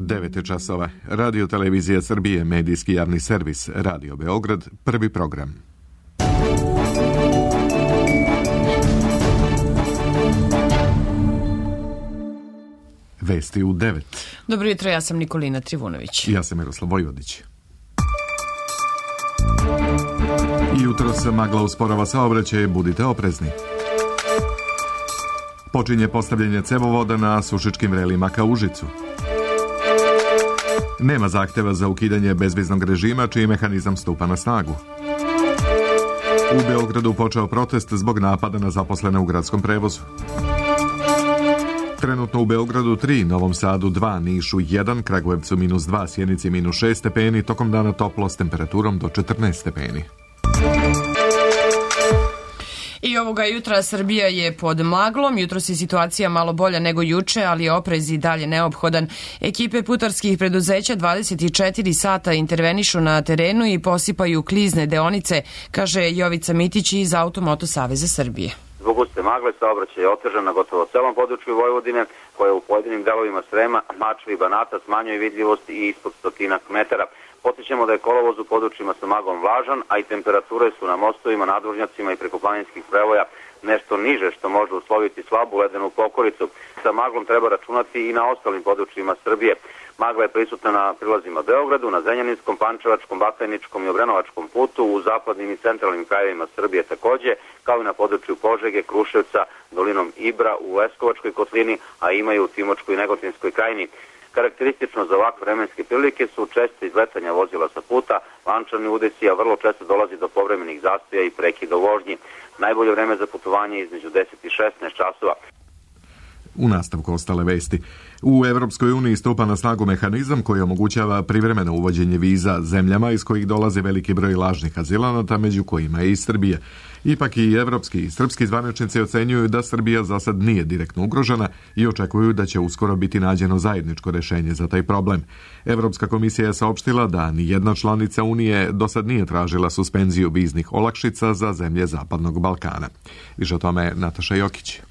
9 časova. Radio Televizija Srbije, medijski javni servis, Radio Beograd, prvi program. Vesti u 9. Dobro jutro, ja sam Nikolina Trivunović. Ja sam Miroslav Vojvodić. Jutros magla usporava saobraćaj, budite oprezni. Počinje postavljanje cevovoda na Sušičkim vrelima ka Užicu. Nema zahteva za ukidanje bezviznog režima, čiji mehanizam stupa na snagu. U Beogradu počeo protest zbog napada na zaposlene u gradskom prevozu. Trenutno u Beogradu 3, Novom Sadu 2, Nišu 1, Kragujevcu -2, Sjenici -6 stepeni, tokom dana toplo s temperaturom do 14 stepeni. I ovoga jutra Srbija je pod maglom. Jutros je situacija malo bolja nego juče, ali je oprez i dalje neophodan. Ekipe putarskih preduzeća 24 sata intervenišu na terenu i posipaju klizne deonice, kaže Jovica Mitić iz Automoto Saveza Srbije. Zbog guste magle saobraćaj je otežan na gotovo celom području Vojvodine, koje u pojedinim delovima Srema, Mačve i Banata smanjuje vidljivost i ispod 100 metara. Podsjećamo da je kolovoz u područjima sa maglom vlažan, a i temperature su na mostovima, nadvožnjacima i prekoplaninskih prevoja nešto niže, što može usloviti slabu ledenu pokoricu. Sa maglom treba računati i na ostalim područjima Srbije. Magla je prisutna na prilazima Beogradu, na Zrenjaninskom, Pančevačkom, Batajničkom i Obrenovačkom putu, u zapadnim i centralnim krajevima Srbije takođe, kao i na području Požege, Kruševca, dolinom Ibra, u Leskovačkoj kotlini, a ima i u Timočkoj i Negotinskoj krajini. Karakteristično za ovakve vremenske prilike su česte izletanja vozila sa puta, lančani udesi, a vrlo često dolazi do povremenih zastoja i prekida u vožnji. Najbolje vreme za putovanje je između 10 i 16 časova. U nastavku ostale vesti. U Evropskoj uniji stupa na snagu mehanizam koji omogućava privremeno uvođenje viza zemljama iz kojih dolazi veliki broj lažnih azilanata, među kojima je i Srbija. Ipak i evropski i srpski zvaničnici ocenjuju da Srbija za sad nije direktno ugrožena i očekuju da će uskoro biti nađeno zajedničko rešenje za taj problem. Evropska komisija je saopštila da ni jedna članica Unije do sad nije tražila suspenziju viznih olakšica za zemlje Zapadnog Balkana. Više o tome Nataša Jokić.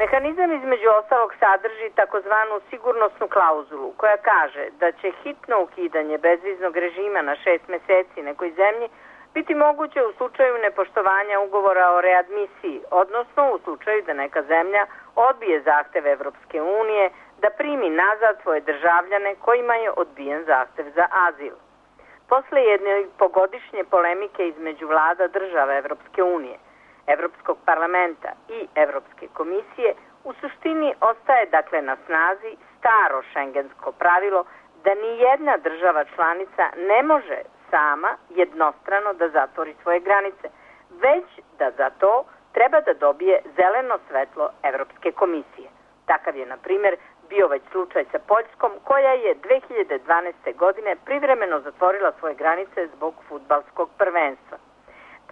Mehanizam između ostalog sadrži takozvanu sigurnosnu klauzulu koja kaže da će hitno ukidanje bezviznog režima na 6 meseci nekoj zemlji biti moguće u slučaju nepoštovanja ugovora o readmisiji, odnosno u slučaju da neka zemlja odbije zahtev Evropske unije da primi nazad svoje državljane kojima je odbijen zahtev za azil. Posle jedne pogodišnje polemike između vlada država Evropske unije, Evropskog parlamenta i Evropske komisije, u suštini ostaje dakle na snazi staro šengensko pravilo da ni jedna država članica ne može sama jednostrano da zatvori svoje granice, već da za to treba da dobije zeleno svetlo Evropske komisije. Takav je, na primjer, bio već slučaj sa Poljskom, koja je 2012. godine privremeno zatvorila svoje granice zbog fudbalskog prvenstva.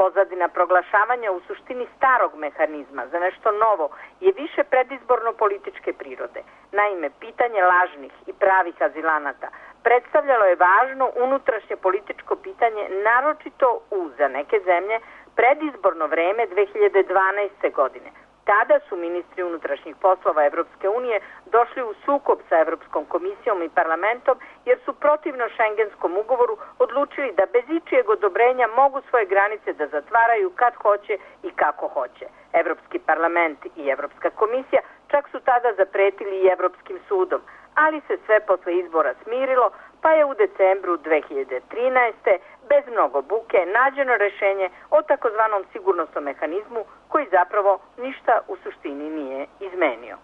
Pozadina proglašavanja u suštini starog mehanizma za nešto novo je više predizborno-političke prirode. Naime, pitanje lažnih i pravih azilanata predstavljalo je važno unutrašnje političko pitanje, naročito u, za neke zemlje, predizborno vreme 2012. godine. Tada su ministri unutrašnjih poslova Evropske unije došli u sukob sa Evropskom komisijom i parlamentom jer su protivno šengenskom ugovoru odlučili da bez ičijeg odobrenja mogu svoje granice da zatvaraju kad hoće i kako hoće. Evropski parlament i Evropska komisija čak su tada zapretili i Evropskim sudom, ali se sve posle izbora smirilo, pa je u decembru 2013. bez mnogo buke nađeno rešenje o takozvanom sigurnosnom mehanizmu koji zapravo ništa u suštini nije izmenio.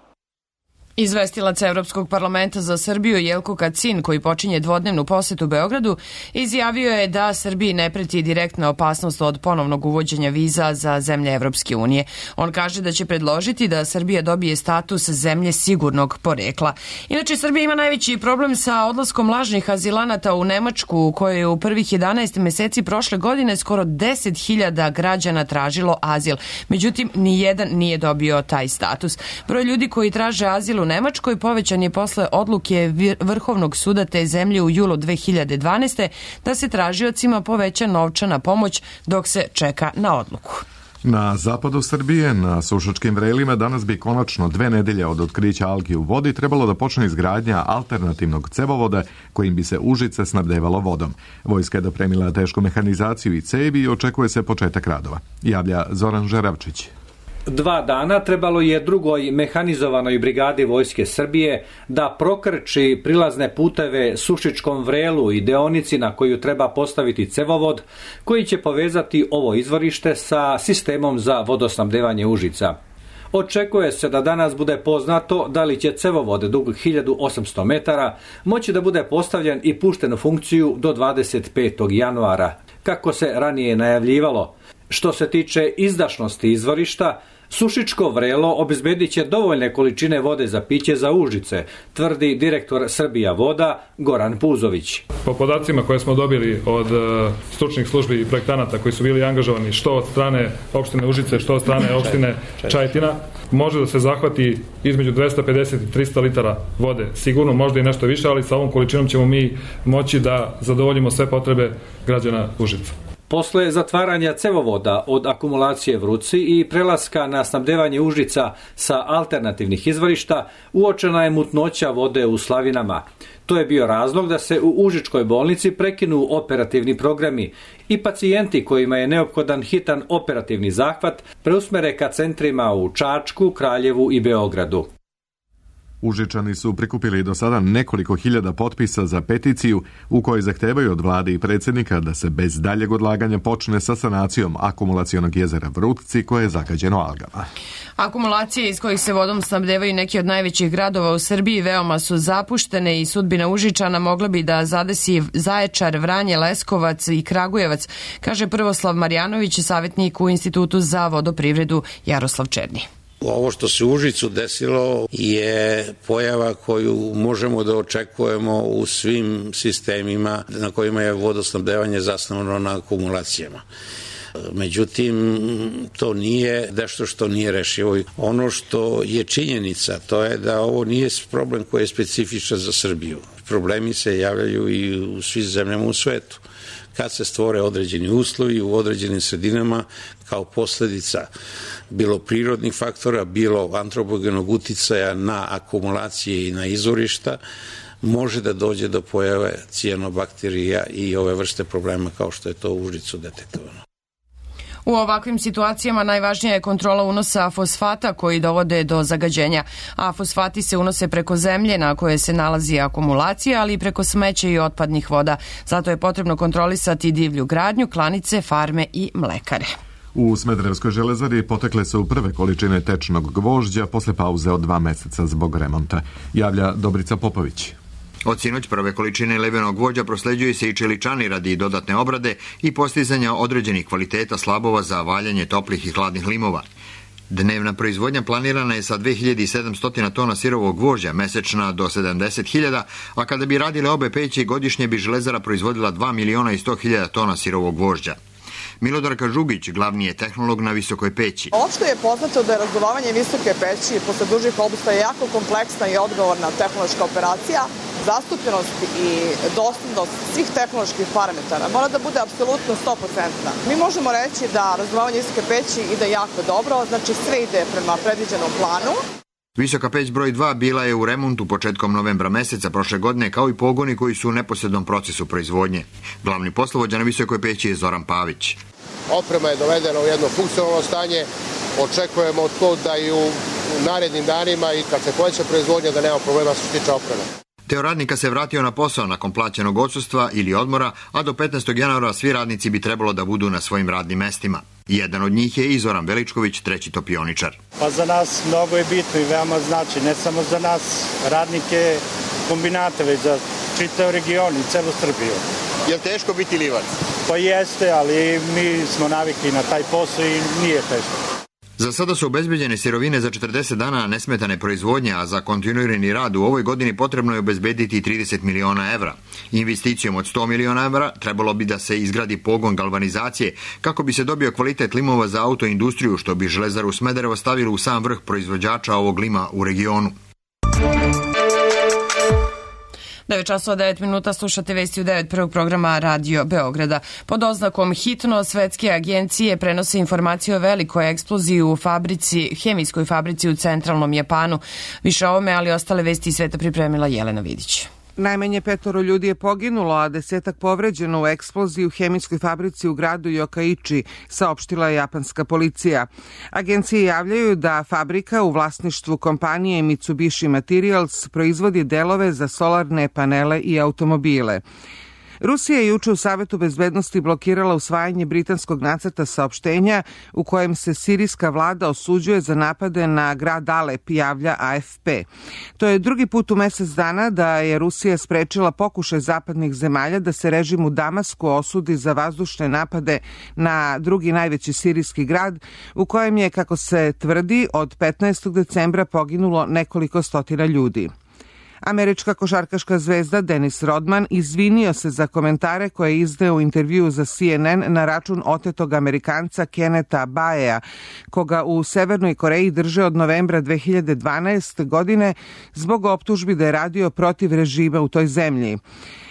Izvestilac Evropskog parlamenta za Srbiju Jelko Kacin, koji počinje dvodnevnu posetu Beogradu, izjavio je da Srbiji ne preti direktna opasnost od ponovnog uvođenja viza za zemlje Evropske unije. On kaže da će predložiti da Srbija dobije status zemlje sigurnog porekla. Inače, Srbija ima najveći problem sa odlaskom lažnih azilanata u Nemačku, u kojoj je u prvih 11 meseci prošle godine skoro 10.000 građana tražilo azil. Međutim, nijedan nije dobio taj status. Broj ljudi koji traže azil u Nemačkoj povećan je posle odluke Vrhovnog suda te zemlje u julu 2012. da se tražiocima poveća novčana pomoć dok se čeka na odluku. Na zapadu Srbije, na Sušačkim vrelima, danas bi konačno 2 nedelje od otkrića algi u vodi trebalo da počne izgradnja alternativnog cevovoda kojim bi se Užice snabdevalo vodom. Vojska je dopremila tešku mehanizaciju i cevi i očekuje se početak radova. Javlja Zoran Žeravčić. 2 dana trebalo je drugoj mehanizovanoj brigadi Vojske Srbije da prokrči prilazne puteve Sušičkom vrelu i deonici na koju treba postaviti cevovod koji će povezati ovo izvorište sa sistemom za vodosnabdevanje Užica. Očekuje se da danas bude poznato da li će cevovod dug 1800 metara moći da bude postavljen i pušten u funkciju do 25. januara, kako se ranije najavljivalo. Što se tiče izdašnosti izvorišta, Sušičko vrelo obezbedit će dovoljne količine vode za piće za Užice, tvrdi direktor Srbija voda Goran Puzović. Po podacima koje smo dobili od stručnih službi i projektanata koji su bili angažovani što od strane opštine Užice, što od strane opštine Čajetina, može da se zahvati između 250 i 300 litara vode. Sigurno, možda i nešto više, ali sa ovom količinom ćemo mi moći da zadovoljimo sve potrebe građana Užica. Posle zatvaranja cevovoda od akumulacije Vruci i prelaska na snabdevanje Užica sa alternativnih izvorišta, uočena je mutnoća vode u slavinama. To je bio razlog da se u Užičkoj bolnici prekinu operativni programi i pacijenti kojima je neophodan hitan operativni zahvat preusmere ka centrima u Čačku, Kraljevu i Beogradu. Užičani su prikupili do sada nekoliko hiljada potpisa za peticiju u kojoj zahtevaju od vlade i predsjednika da se bez daljeg odlaganja počne sa sanacijom akumulacionog jezera Vrutci koje je zagađeno algama. Akumulacije iz kojih se vodom snabdevaju neki od najvećih gradova u Srbiji veoma su zapuštene i sudbina Užičana mogla bi da zadesi Zaječar, Vranje, Leskovac i Kragujevac, kaže Prvoslav Marjanović, savjetnik u Institutu za vodoprivredu Jaroslav Černi. Ovo što se u Užicu desilo je pojava koju možemo da očekujemo u svim sistemima na kojima je vodosnabdevanje zasnovano na akumulacijama. Međutim, to nije nešto što nije rešivo. Ono što je činjenica, to je da ovo nije problem koji je specifičan za Srbiju. Problemi se javljaju i u svim zemljama u svetu. Kad se stvore određeni uslovi u određenim sredinama kao posljedica bilo prirodnih faktora, bilo antropogenog uticaja na akumulacije i na izvorišta, može da dođe do pojave cijanobakterija i ove vrste problema kao što je to u Užicu detektovano. U ovakvim situacijama najvažnija je kontrola unosa fosfata koji dovode do zagađenja, a fosfati se unose preko zemlje na koje se nalazi akumulacija, ali i preko smeća i otpadnih voda. Zato je potrebno kontrolisati divlju gradnju, klanice, farme i mlekare. U Smederevskoj železari potekle su prve količine tečnog gvožđa posle pauze od 2 meseca zbog remonta. Javlja Dobrica Popović. Od sinoć prve količine levenog gvožđa prosleđuju se i čeličani radi dodatne obrade i postizanja određenih kvaliteta slabova za valjanje toplih i hladnih limova. Dnevna proizvodnja planirana je sa 2700 tona sirovog gvožđa, mesečna do 70.000, a kada bi radile obe peći, godišnje bi železara proizvodila 2.100.000 tona sirovog gvožđa. Milodarka Žugić, glavni je tehnolog na Visokoj peći. Opšte je poznato da je razduvavanje Visoke peći posle dužih obustaja jako kompleksna i odgovorna tehnološka operacija. Zastupljenost i doslednost svih tehnoloških parametara mora da bude apsolutno 100%. Mi možemo reći da razduvavanje Visoke peći ide jako dobro, znači sve ide prema predviđenom planu. Visoka peć broj 2 bila je u remontu početkom novembra meseca prošle godine, kao i pogoni koji su u neposrednom procesu proizvodnje. Glavni poslovođa na Visokoj peći je Zoran Pavić. Oprema je dovedena u jedno funkcionalno stanje. Očekujemo to da i u narednim danima i kad se poveća proizvodnja da nema problema što se tiče opreme. Deo radnika se vratio na posao nakon plaćenog odsustva ili odmora, a do 15. januara svi radnici bi trebalo da budu na svojim radnim mestima. Jedan od njih je i Zoran Veličković, treći topioničar. Pa za nas mnogo je bitno i veoma znači, ne samo za nas radnike kombinata, već za čitav region i celu Srbiju. Je li teško biti livac? Pa jeste, ali mi smo navikli na taj posao i nije teško. Za sada su obezbeđene sirovine za 40 dana nesmetane proizvodnje, a za kontinuirani rad u ovoj godini potrebno je obezbediti 30 miliona evra. Investicijom od 100 miliona evra trebalo bi da se izgradi pogon galvanizacije kako bi se dobio kvalitet limova za autoindustriju, što bi Železaru Smederevo stavilo u sam vrh proizvođača ovog lima u regionu. 9 časova 9 minuta, slušate vesti u 9 prvog programa Radio Beograda. Pod oznakom hitno, svetske agencije prenose informacije o velikoj eksploziji u hemijskoj fabrici u centralnom Japanu. Više o ovome, ali ostale vesti iz sveta pripremila Jelena Vidić. Najmanje 5 ljudi je poginulo, a 10 povređeno u eksploziji u hemijskoj fabrici u gradu Yokkaichi, saopštila je japanska policija. Agencije javljaju da fabrika u vlasništvu kompanije Mitsubishi Materials proizvodi delove za solarne panele i automobile. Rusija je juče u Savetu bezbednosti blokirala usvajanje britanskog nacrta saopštenja u kojem se sirijska vlada osuđuje za napade na grad Alep, javlja AFP. To je drugi put u mesec dana da je Rusija sprečila pokušaj zapadnih zemalja da se režim u Damasku osudi za vazdušne napade na drugi najveći sirijski grad, u kojem je, kako se tvrdi, od 15. decembra poginulo nekoliko stotina ljudi. Američka košarkaška zvezda Dennis Rodman izvinio se za komentare koje je izdao u intervjuu za CNN na račun otetog Amerikanca Kennetha Baea, koga u Severnoj Koreji drže od novembra 2012. godine zbog optužbi da je radio protiv režima u toj zemlji.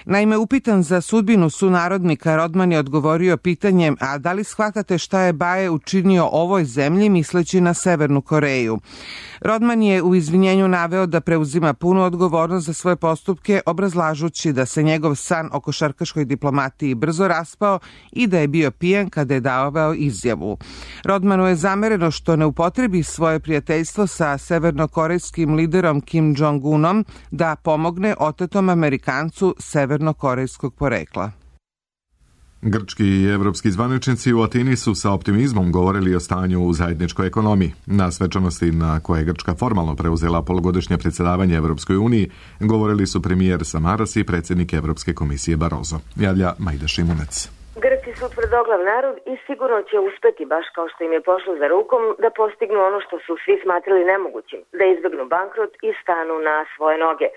Naime, upitan za sudbinu sunarodnika, Rodman je odgovorio pitanjem: a da li shvatate šta je Bae učinio ovoj zemlji, misleći na Severnu Koreju? Rodman je u izvinjenju naveo da preuzima punu odgovornost za svoje postupke, obrazlažući da se njegov san o košarkaškoj diplomatiji brzo raspao i da je bio pijan kada je davao izjavu. Rodmanu je zamereno što ne upotrebi svoje prijateljstvo sa severnokorejskim liderom Kim Jong-unom da pomogne otetom Amerikancu severnokorejskog porekla. Grčki i evropski zvaničnici u Atini su sa optimizmom govorili o stanju u zajedničkoj ekonomiji. Na svečanosti na koje je Grčka formalno preuzela polugodišnje predsjedavanje Evropskoj uniji govorili su premijer Samaras i predsjednik Evropske komisije Barroso. Javlja Majda Šimunec. Grci su tvrdoglav narod i sigurno će uspeti, baš kao što im je pošlo za rukom, da postignu ono što su svi smatrali nemogućim, da izbjegnu bankrot i stanu na svoje noge.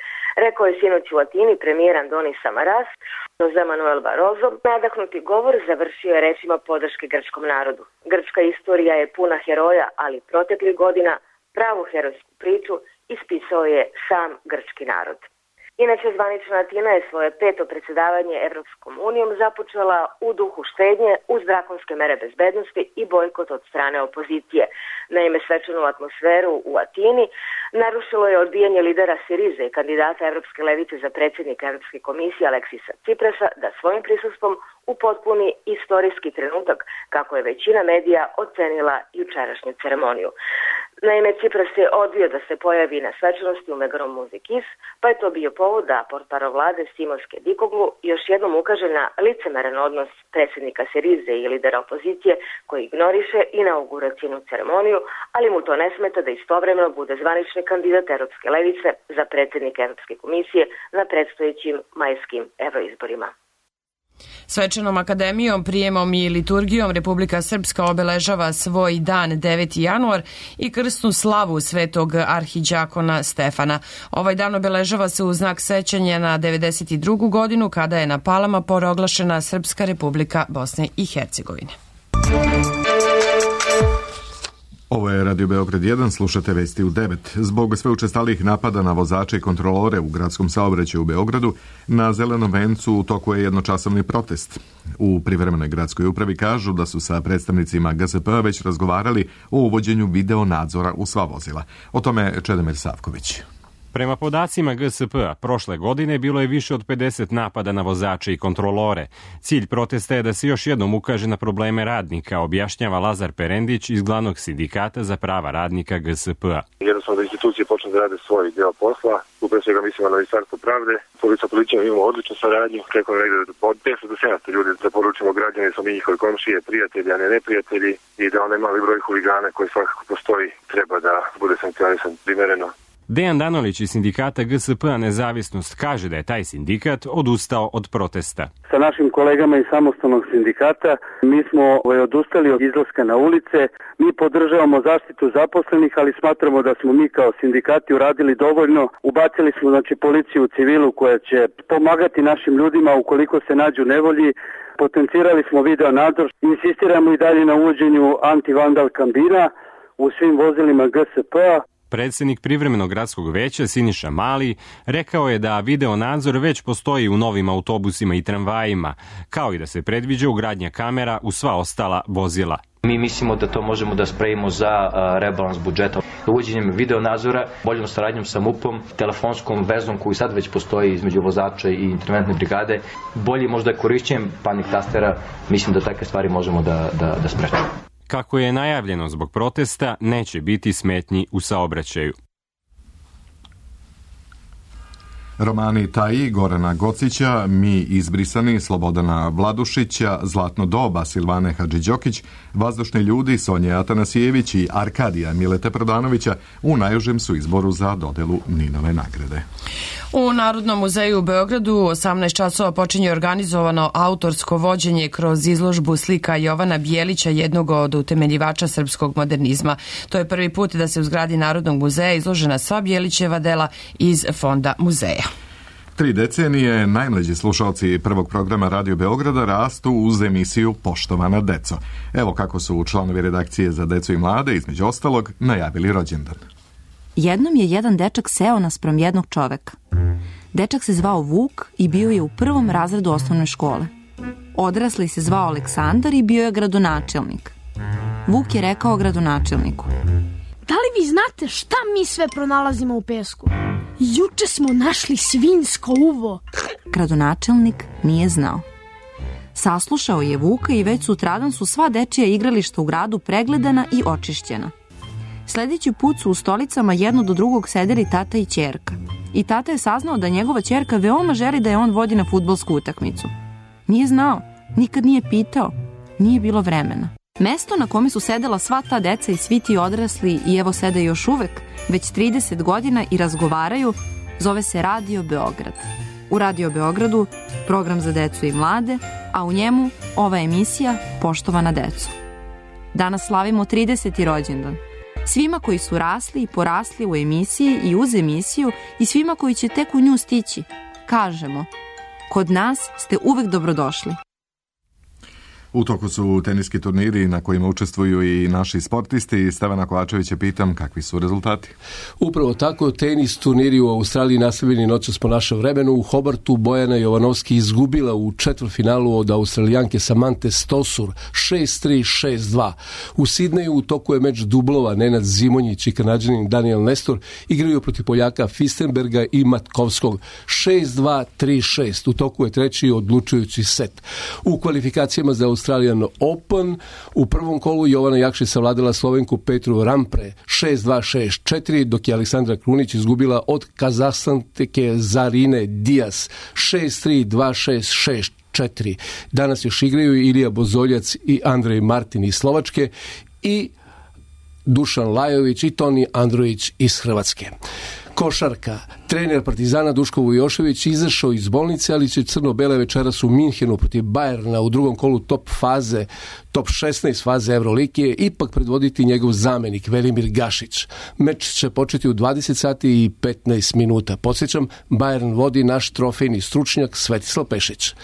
Rekao je sinoć u Atini premijer Andonis Samaras. Jose Manuel Barroso, nadahnuti govor, završio je rečima podrške grčkom narodu. Grčka istorija je puna heroja, ali proteklih godina pravu herojsku priču ispisao je sam grčki narod. Inače, zvanična Atina je svoje 5. predsjedavanje Evropskom unijom započela u duhu štednje uz drakonske mere bezbednosti i bojkot od strane opozicije. Naime, svečanu atmosferu u Atini narušilo je odbijanje lidera Sirize i kandidata Evropske levice za predsjednika Evropske komisije Aleksisa Tsiprasa da svojim prisustvom upotpuni istorijski trenutak, kako je većina medija ocenila jučerašnju ceremoniju. Naime, Tsipras je odbio da se pojavi na svečanosti u Megarom Muzikis, pa je to bio povod da portparol vlade Simos Kedikoglu još jednom ukaže na licemeran odnos predsjednika Sirize i lidera opozicije koji ignoriše inauguracijnu ceremoniju, ali mu to ne smeta da istovremeno bude zvanični kandidat Evropske levice za predsjednika Evropske komisije na predstojećim majskim evroizborima. Svečanom akademijom, prijemom i liturgijom Republika Srpska obeležava svoj dan 9. januar i krsnu slavu svetog arhiđakona Stefana. Ovaj dan obeležava se u znak sećanja na 92. godinu kada je na Palama proglašena Srpska Republika Bosne i Hercegovine. Ovo je Radio Beograd 1, slušate vesti u 9. Zbog sve učestalih napada na vozače i kontrolore u gradskom saobraćaju u Beogradu, na Zelenom vencu u toku je jednočasovni protest. U privremenoj gradskoj upravi kažu da su sa predstavnicima GSP već razgovarali o uvođenju video nadzora u sva vozila. O tome Čedomir Savković. Prema podacima GSP-a, prošle godine bilo je više od 50 napada na vozače i kontrolore. Cilj protesta je da se još jednom ukaže na probleme radnika, objašnjava Lazar Perendić iz glavnog sindikata za prava radnika GSP-a. Jednostavno da institucije počnu da rade svoj deo posla. Upravo svega mislimo na Ministarstvo pravde. Sa policijom imamo odličnu saradnju. Preko negde od 500 do 700 ljudi da poručimo građani, smo mi njihovi komšije, prijatelji, a ne neprijatelji, i da onaj mali broj huligana koji svakako postoji treba da bude sankcionisan primereno. Dejan Danolić iz sindikata GSP-a Nezavisnost kaže da je taj sindikat odustao od protesta. Sa našim kolegama iz samostalnog sindikata mi smo odustali od izlaska na ulice. Mi podržavamo zaštitu zaposlenih, ali smatramo da smo mi kao sindikati uradili dovoljno. Ubacili smo policiju u civilu koja će pomagati našim ljudima ukoliko se nađu u nevolji. Potencirali smo video nadzor. Insistiramo i dalje na uvođenju antivandal kambina u svim vozilima GSP-a. Predsednik Privremenog gradskog veća Siniša Mali rekao je da video nadzor već postoji u novim autobusima i tramvajima, kao i da se predviđa ugradnja kamera u sva ostala vozila. Mi mislimo da to možemo da spremimo za rebalans budžeta. Uvođenjem video nadzora, boljom saradnjom sa MUP-om, telefonskom vezom koju sad već postoji između vozača i interventne brigade, bolje možda korišćenjem panik tastera, mislim da takve stvari možemo da sprečimo. Kako je najavljeno zbog protesta, neće biti smetnji u saobraćaju. Romani Taji, Gorana Gocića, Mi izbrisani, Slobodana Vladušića, Zlatno doba, Silvane Hadžiđokić, Vazdušni ljudi, Sonje Atanasijević i Arkadija Milete Prodanovića u najužem su izboru za dodelu Ninove nagrade. U Narodnom muzeju u Beogradu 18 časova počinje organizovano autorsko vođenje kroz izložbu slika Jovana Bijelića, jednog od utemeljivača srpskog modernizma. To je prvi put da se u zgradi Narodnog muzeja izložena sva Bijelićeva dela iz fonda muzeja. 3 decenije najmlađi slušalci prvog programa Radio Beograda rastu uz emisiju Poštovana deco. Evo kako su članovi redakcije za decu i mlade, između ostalog, najavili rođendan. Jednom je jedan dečak seo naspram jednog čoveka. Dečak se zvao Vuk i bio je u 1. razredu osnovne škole. Odrasli se zvao Aleksandar i bio je gradonačelnik. Vuk je rekao gradonačelniku: Da li vi znate šta mi sve pronalazimo u pesku? Juče smo našli svinjsko uvo. Gradonačelnik nije znao. Saslušao je Vuka i već sutradan su sva dečija igrališta u gradu pregledana i očišćena. Sljedeći put su u stolicama jedno do drugog sedeli tata i ćerka. I tata je saznao da njegova ćerka veoma želi da je on vodi na fudbalsku utakmicu. Nije znao, nikad nije pitao, nije bilo vremena. Mesto na kome su sedela sva ta deca i svi ti odrasli i evo sede još uvek, već 30 godina i razgovaraju, zove se Radio Beograd. U Radio Beogradu program za decu i mlade, a u njemu ova emisija Poštovana deco. Danas slavimo 30. rođendan. Svima koji su rasli i porasli u emisiji i uz emisiju i svima koji će tek u nju stići, kažemo: kod nas ste uvek dobrodošli. U toku su teniski turniri na kojima učestvuju i naši sportisti. Stevana Kovačevića pitam kakvi su rezultati. Upravo tako, tenis turniri u Australiji nastavljeni noćas po našem vremenu. U Hobartu Bojana Jovanovski izgubila u četvrtfinalu od Australijanke Samante Stosur 6-3, 6-2. U Sidneju u toku je meč dublova. Nenad Zimonjić i Kanadžanin Daniel Nestor igraju protiv Poljaka Fistenberga i Matkovskog 6-2, 3-6. U toku je treći odlučujući set. U kvalifikacijama za Australian Open u prvom kolu Jovana Jakšić savladala Slovenku Petru Rampre 6-2, 6-4, dok je Aleksandra Krunić izgubila od Kazahstanke Zarine Dias 6-3, 2-6, 6-4. Danas još igraju Ilija Bozoljac i Andrej Martin iz Slovačke i Dušan Lajović i Toni Androjić iz Hrvatske. Košarka. Trener Partizana Duško Vujošević izašao iz bolnice, ali će crno-bele večeras u Minhenu protiv Bajerna u drugom kolu top 16 faze Evrolige ipak predvoditi njegov zamenik Velimir Gašić. Meč će početi u 20 sati i 15 minuta. Podsjećam, Bajern vodi naš trofejni stručnjak Svetislav Pešić.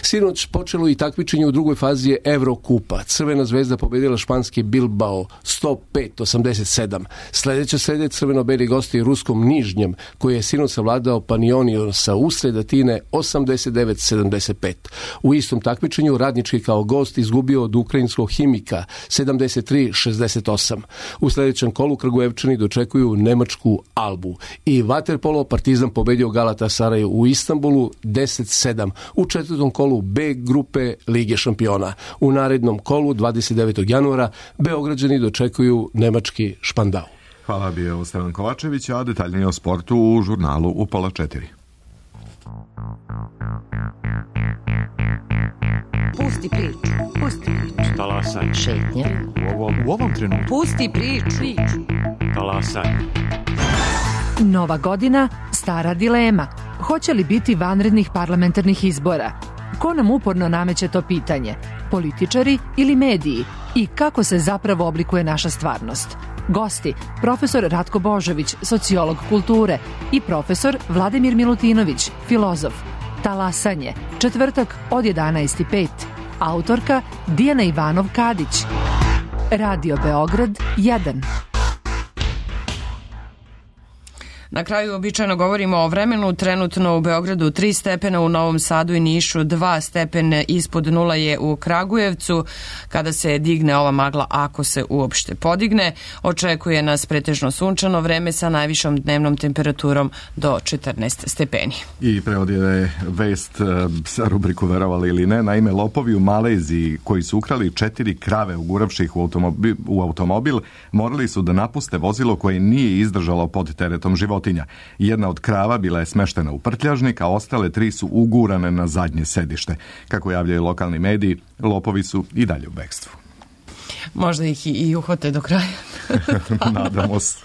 Sinoć počelo i takmičenje u drugoj fazi Evrokupa. Crvena zvezda pobedila španski Bilbao 105-87. Sljedeće srede crveno-beli gosti ruskom Nižnjem, koji je sinoć savladao Panioniosa usred Atine 89-75. U istom takmičenju Radnički kao gost izgubio od ukrajinskog Himika 73-68. U sljedećem kolu Kragujevčani dočekuju nemačku Albu. I vaterpolo Partizan pobedio Galatasaray u Istanbulu 10-7 u četvrtom kolu B grupe Lige šampiona. U narednom kolu 29. januara Beograđani dočekuju nemački Špandau. Hvala, bio Stevan Kovačević, a detaljnije o sportu u žurnalu u 3:30. Pusti priču. Talasaj. Šetnja. U ovom trenutku. Pusti priču. Talasaj. Nova godina, stara dilema. Hoće li biti vanrednih parlamentarnih izbora? Ko nam uporno nameće to pitanje? Političari ili mediji? I kako se zapravo oblikuje naša stvarnost? Gosti, profesor Ratko Božović, sociolog kulture i profesor Vladimir Milutinović, filozof. Talasanje, četvrtak od 11:05. Autorka Dijana Ivanov-Kadić. Radio Beograd 1. Na kraju običajno govorimo o vremenu. Trenutno u Beogradu 3 stepena, u Novom Sadu i Nišu 2 stepena, ispod nula je u Kragujevcu. Kada se digne ova magla, ako se uopšte podigne, očekuje nas pretežno sunčano vreme sa najvišom dnevnom temperaturom do 14 stepeni. I prevodila vest sa rubriku Verovali ili ne. Naime, lopovi u Maleziji koji su ukrali 4 krave uguravši ih u automobil morali su da napuste vozilo koje nije izdržalo pod teretom životinja. Jedna od krava bila je smeštena u prtljažnik, a ostale 3 su ugurane na zadnje sedište. Kako javljaju lokalni mediji, lopovi su i dalje u bekstvu. Možda ih i uhvate do kraja. Nadamo se.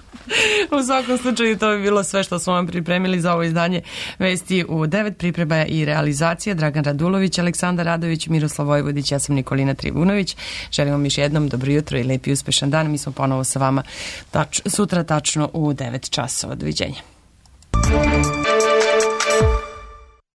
U svakom slučaju to bi bilo sve što smo vam pripremili za ovo izdanje Vesti u 9. Priprema i realizacija Dragan Radulović, Aleksandar Radović, Miroslav Vojvodić, ja sam Nikolina Trivunović. Želim vam još jednom dobro jutro i lepi uspešan dan. Mi smo ponovo sa vama sutra tačno u 9 časova. Doviđenja.